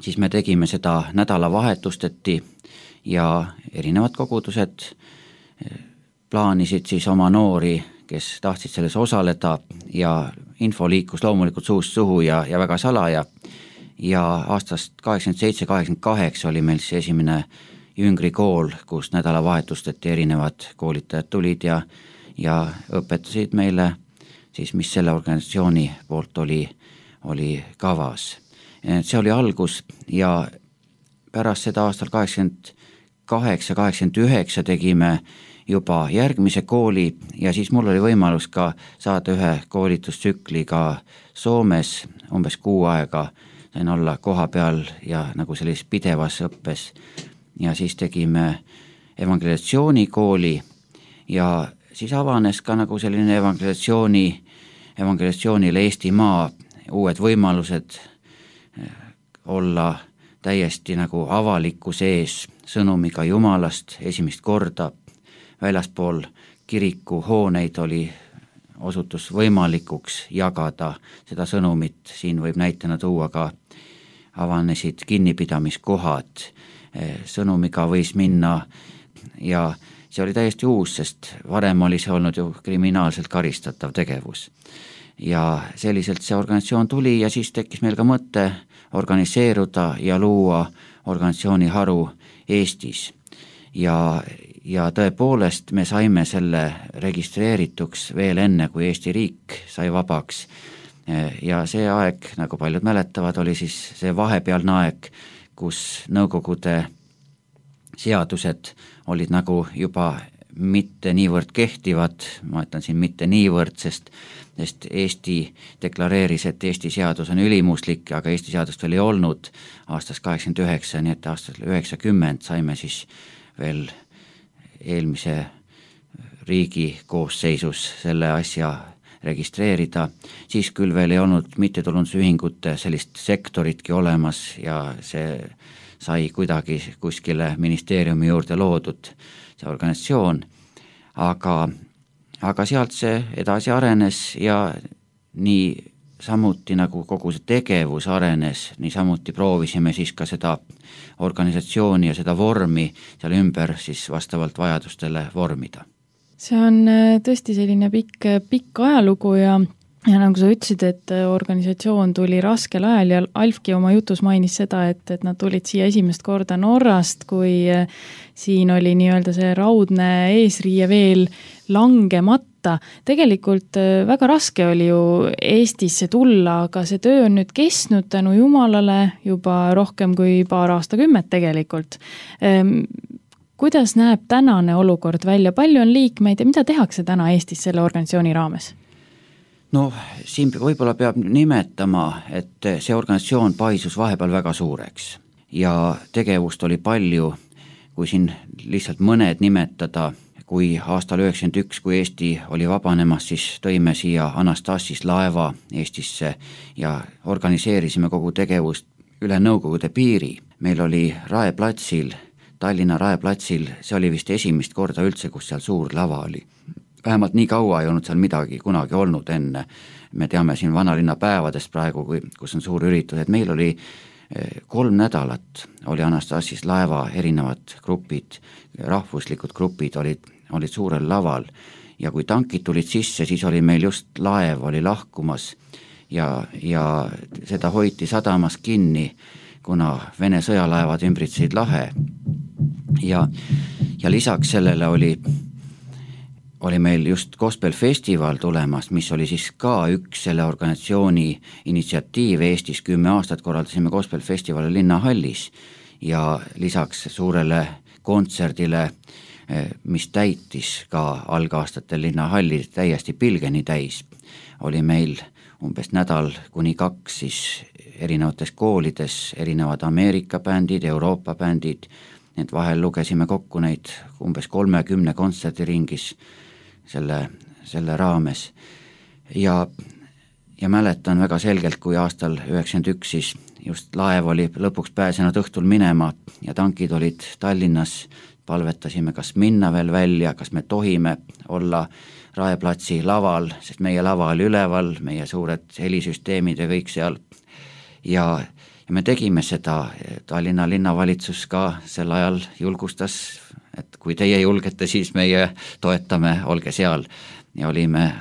siis me tegime seda nädalavahetusteti ja erinevad kogudused plaanisid siis oma noori, kes tahtsid selles osaleda ja info liikus loomulikult suust suhu ja väga salaja ja aastast 87-88 oli meil siis esimene Jüngri kool, kus nädalavahetusteti erinevad koolitajad tulid ja õpetasid meile siis, mis selle organisatsiooni poolt oli kavas. See oli algus ja pärast seda aastal 88-89 tegime juba järgmise kooli ja siis mul oli võimalus ka saada ühe koolitustsükli ka Soomes umbes 6 aega, sain olla koha peal ja nagu sellises pidevas õppes ja siis tegime evangelisatsioonikooli ja siis avanes ka nagu selline evangelisatsioonile Eestimaa uued võimalused olla täiesti nagu avalikkuse ees sõnumiga Jumalast esimest korda. Väljaspool kiriku hooneid osutus võimalikuks jagada seda sõnumit. Siin võib näitena tuua ka avanesid kinnipidamiskohad. Sõnumiga võis minna ja see oli täiesti uus, sest varem oli see olnud ju kriminaalselt karistatav tegevus. Ja selliselt see organisatsioon tuli ja siis tekkis meil ka mõte organiseeruda ja luua organisatsiooni haru Eestis. Ja tõepoolest me saime selle registreerituks veel enne, kui Eesti riik sai vabaks. Ja see aeg, nagu paljud mäletavad, oli siis see vahepealne aeg, kus Nõukogude seadused olid nagu juba mitte niivõrd kehtivad, ma ütlen siin mitte niivõrd, sest Eesti deklareeris, et Eesti seadus on ülimuslik, aga Eesti seadust veel ei olnud aastast 89, nii et aastast 90 saime siis veel eelmise riigi koosseisus selle asja registreerida, siis küll veel ei olnud mittetulundusühingute sellist sektoritki olemas ja see sai kuidagi kuskile ministeeriumi juurde loodud see organisatsioon, aga sealt see edasi arenes ja nii samuti nagu kogu see tegevus arenes, niisamuti proovisime siis ka seda organisatsiooni ja seda vormi seal ümber siis vastavalt vajadustele vormida. See on tõesti selline pikk ajalugu ja nagu sa ütlesid, et organisatsioon tuli raskel ajal ja Alfki oma jutus mainis seda, et nad tulid siia esimest korda Norrast, kui siin oli nii-öelda see raudne eesriie veel langemata. Tegelikult väga raske oli ju Eestisse tulla, aga see töö on nüüd kestnud tänu Jumalale juba rohkem kui paar aastakümmet tegelikult. Kuidas näeb tänane olukord välja? Palju on liikmeid ja mida tehakse täna Eestis selle organisatsiooni raames? No siin võib-olla peab nimetama, et see organisatsioon paisus vahepeal väga suureks ja tegevust oli palju, kui siin lihtsalt mõned nimetada, kui aastal 1991, kui Eesti oli vabanemas, siis tõime siia Anastassis laeva Eestisse ja organiseerisime kogu tegevust üle Nõukogude piiri. Meil oli Raeplatsil, Tallinna Raeplatsil, see oli vist esimest korda üldse, kus seal suur lava oli. Vähemalt nii kaua ei olnud seal midagi kunagi olnud enne. Me teame siin vanalinna päevadest praegu, kus on suur üritus, et meil oli 3 nädalat oli Anastassis laeva erinevad grupid, rahvuslikud grupid olid suurel laval ja kui tankid tulid sisse, siis oli meil just laev oli lahkumas ja seda hoiti sadamas kinni, kuna Vene sõjalaevad ümbritsesid lahe ja lisaks sellele oli meil just Gospel Festival tulemas, mis oli siis ka üks selle organisatsiooni initsiatiiv Eestis. 10 aastat korraldasime Gospel Festivali Linnahallis ja lisaks suurele kontserdile, mis täitis ka algaastatel Linnahalli täiesti pilgeni täis, oli meil umbes nädal kuni 2 siis erinevates koolides, erinevad Ameerika bändid, Euroopa bändid, need vahel lugesime kokku neid umbes 30 kontserdiringis selle raames ja mäletan väga selgelt, kui aastal 1991 siis just laev oli lõpuks pääsenud õhtul minema ja tankid olid Tallinnas, palvetasime, kas minna veel välja, kas me tohime olla Raeplatsi laval, sest meie lava oli üleval, meie suured helisüsteemid ja kõik seal ja me tegime seda. Tallinna linnavalitsus ka sel ajal julgustas, et kui teie julgete, siis meie toetame, olge seal ja olime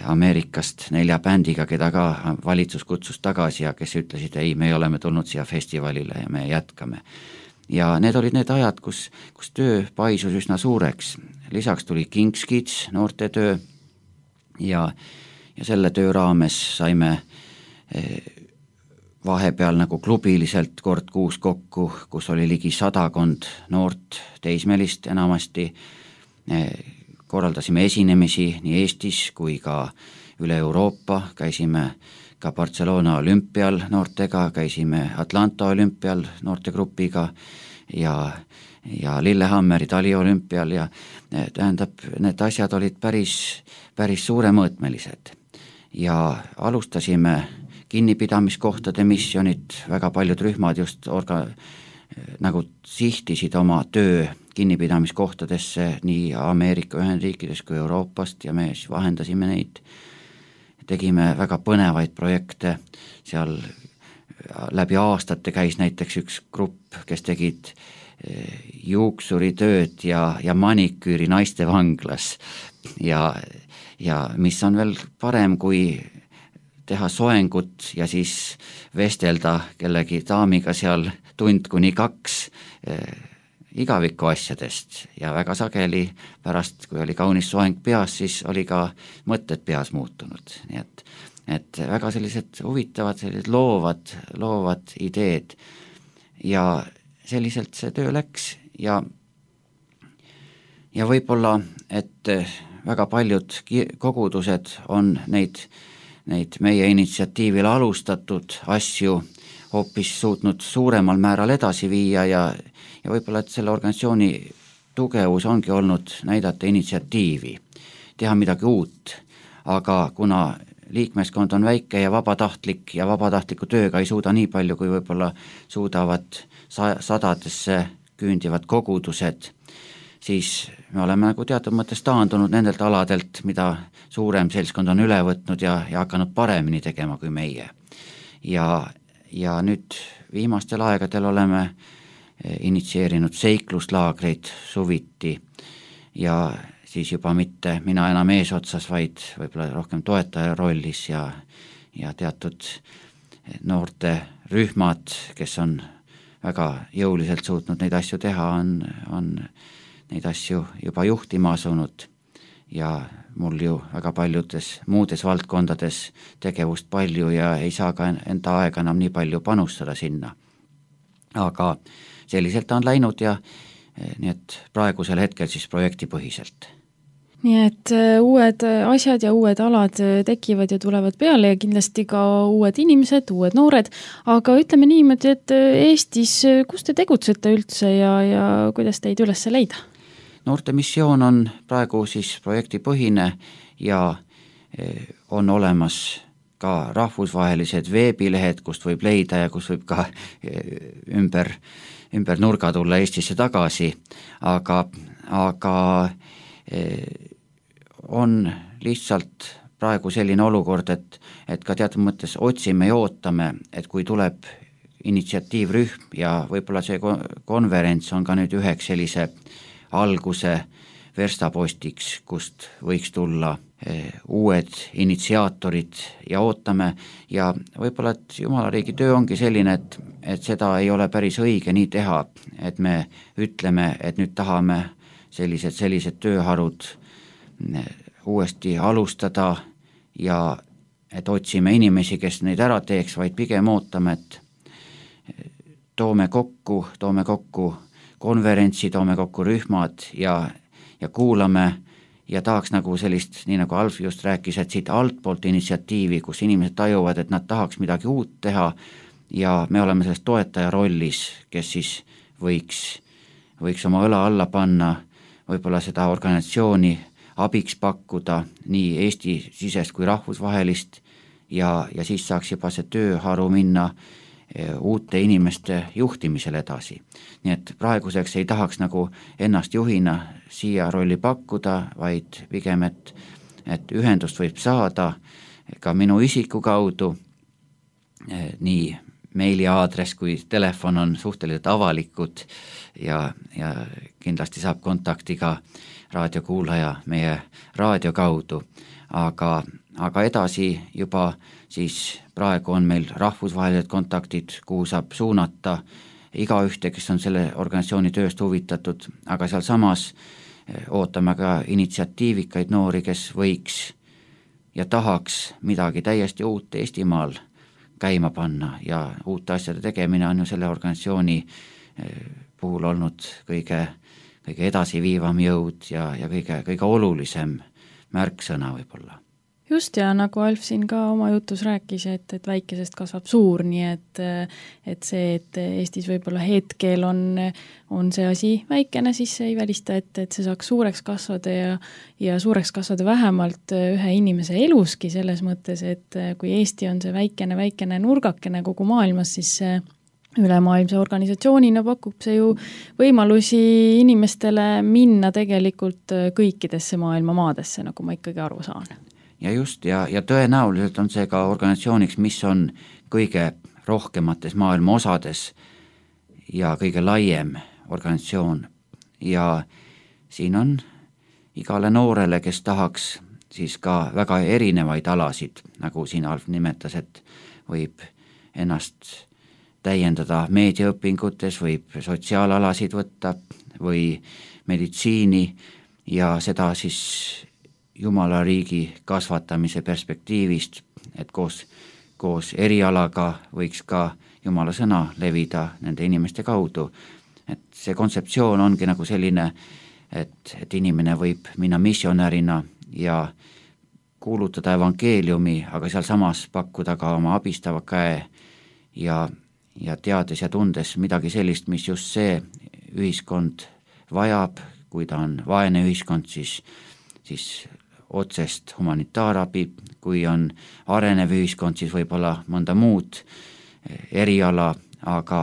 Ameerikast 4 bändiga, keda ka valitsus kutsus tagasi ja kes ütlesid, ei, me oleme tulnud siia festivalile ja me jätkame. Ja need olid need ajad, kus töö paisus üsna suureks. Lisaks tuli King's Kids, noorte töö ja selle töö raames saime vahepeal nagu klubiliselt kord kuus kokku, kus oli ligi 100 noort teismelist enamasti. Korraldasime esinemisi nii Eestis kui ka üle Euroopa, käisime ka Barcelona olümpial noortega, käisime Atlanta olümpial noortegrupiga ja Lillehammeri taliolümpial ja tähendab, need asjad olid päris suuremõõtmelised ja alustasime kinnipidamiskohtade missionit, väga paljud rühmad just nagu sihtisid oma töö kinnipidamiskohtadesse nii Ameerika Ühendriikides kui Euroopast ja me siis vahendasime neid. Tegime väga põnevaid projekte, seal läbi aastate käis näiteks üks grupp, kes tegid juuksuritööd ja maniküüri naiste vanglas ja mis on veel parem kui teha soengut ja siis vestelda kellegi daamiga seal 1 kuni 2 igaviku asjadest ja väga sageli pärast, kui oli kaunis soeng peas, siis oli ka mõtted peas muutunud. Nii et väga sellised huvitavad, sellised loovad ideed ja selliselt see töö läks ja võib-olla, et väga paljud kogudused on neid meie initsiatiivil alustatud asju hoopis suutnud suuremal määral edasi viia ja võib-olla, et selle organisatsiooni tugevus ongi olnud näidata initsiatiivi, teha midagi uut, aga kuna liikmeskond on väike ja vabatahtlik ja vabatahtliku tööga ei suuda nii palju, kui võib-olla suudavad sadadesse küündivad kogudused, siis me oleme nagu teatud mõttes taandunud nendelt aladelt, mida suurem seltskond on üle võtnud ja hakanud paremini tegema kui meie. Ja nüüd viimastel aegadel oleme initsieerinud seikluslaagreid suviti ja siis juba mitte mina enam eesotsas, vaid võib-olla rohkem toetaja rollis ja teatud noorte rühmad, kes on väga jõuliselt suutnud neid asju teha, on neid asju juba juhtima asunud ja mul ju väga paljudes muudes valdkondades tegevust palju ja ei saa ka enda aega enam nii palju panustada sinna. Aga selliselt on läinud ja nii et praegusel hetkel siis projektipõhiselt. Nii et uued asjad ja uued alad tekivad ja tulevad peale ja kindlasti ka uued inimesed, uued noored, aga ütleme niimoodi, et Eestis, kus te tegutsete üldse ja kuidas teid üles leida? Noorte missioon on praegu siis projektipõhine ja on olemas ka rahvusvahelised veebilehed, kust võib leida ja kus võib ka ümber nurga tulla Eestisse tagasi, aga on lihtsalt praegu selline olukord, et ka teatud mõttes otsime ja ootame, et kui tuleb initsiatiivrühm ja võib-olla see konverents on ka nüüd üheks sellise alguse verstapostiks, kust võiks tulla uued initsiaatorid ja ootame ja võib-olla, et Jumala riigi töö ongi selline, et seda ei ole päris õige nii teha, et me ütleme, et nüüd tahame sellised tööharud uuesti alustada ja et otsime inimesi, kes neid ära teeks, vaid pigem ootame, et toome kokku konverentsi, toome kokku rühmad ja kuulame ja tahaks nagu sellist, nii nagu Alf just rääkis, et siit altpoolt initsiatiivi, kus inimesed tajuvad, et nad tahaks midagi uut teha ja me oleme selles toetaja rollis, kes siis võiks oma õla alla panna, võib-olla seda organisatsiooni abiks pakkuda nii Eesti-sisest kui rahvusvahelist ja siis saaks juba see tööharu minna uute inimeste juhtimisel edasi. Nii et praeguseks ei tahaks nagu ennast juhina siia rolli pakkuda, vaid pigem, et ühendust võib saada ka minu isiku kaudu, nii meiliaadress kui telefon on suhteliselt avalikud ja kindlasti saab kontakti ka raadiokuulaja meie raadio kaudu, aga edasi juba siis praegu on meil rahvusvahelised kontaktid, kuhu saab suunata igaühte, kes on selle organisatsiooni tööst huvitatud, aga seal samas ootame ka initsiatiivikaid noori, kes võiks ja tahaks midagi täiesti uut Eestimaal käima panna ja uute asjade tegemine on ju selle organisatsiooni puhul olnud kõige edasiviivam jõud ja kõige olulisem märksõna võib-olla. Just ja nagu Alf siin ka oma jutus rääkis, et väikesest kasvab suur, nii et see, et Eestis võib-olla hetkel on see asi väikene, siis see ei välista, et see saaks suureks kasvada ja suureks kasvada vähemalt ühe inimese eluski selles mõttes, et kui Eesti on see väikene nurgakene kogu maailmas, siis see ülemaailmse organisatsioonina pakub see ju võimalusi inimestele minna tegelikult kõikidesse maailma maadesse, nagu ma ikkagi aru saan. Ja just, ja tõenäoliselt on see ka organisatsiooniks, mis on kõige rohkemates maailma osades ja kõige laiem organisatsioon. Ja siin on igale noorele, kes tahaks siis ka väga erinevaid alasid, nagu siin Alf nimetas, et võib ennast täiendada meediaõpingutes, võib sotsiaalalasid võtta või meditsiini ja seda siis Jumala riigi kasvatamise perspektiivist, et koos erialaga võiks ka Jumala sõna levida nende inimeste kaudu. Et see kontseptsioon ongi nagu selline, et inimene võib minna missionärina ja kuulutada evangeeliumi, aga seal samas pakkuda ka oma abistava käe ja teades ja tundes midagi sellist, mis just see ühiskond vajab, kui ta on vaene ühiskond, siis otsest humanitaarabi, kui on arenev ühiskond, siis võib-olla mõnda muud eriala, aga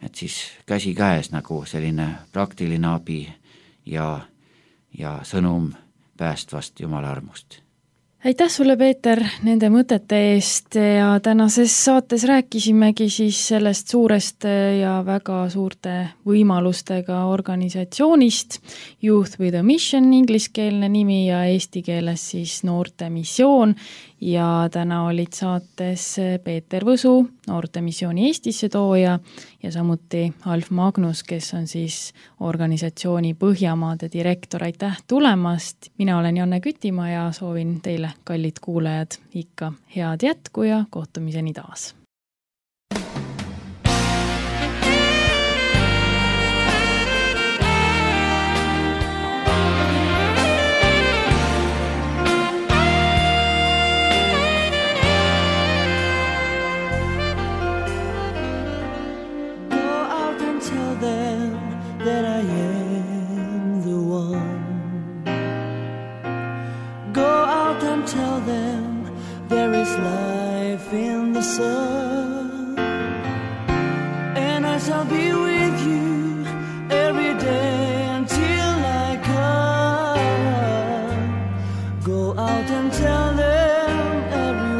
et siis käsi käes nagu selline praktiline abi ja sõnum päästvast Jumala armust. Aitäh sulle, Peeter, nende mõtete eest ja tänases saates rääkisimegi siis sellest suurest ja väga suurte võimalustega organisatsioonist Youth with a Mission, ingliskeelne nimi ja eesti keeles siis Noorte Missioon ja täna olid saates Peeter Võsu, Noorte Missiooni Eestisse tooja ja samuti Alf Magnus, kes on siis organisatsiooni Põhjamaade direktor. Aitäh tulemast! Mina olen Janne Kütimaa ja soovin teile, kallid kuulajad, ikka head jätku ja kohtumiseni taas! That I am the one. Go out and tell them there is life in the sun, and I shall be with you every day until I come. Go out and tell them everyone.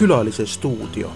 Külalise stuudio.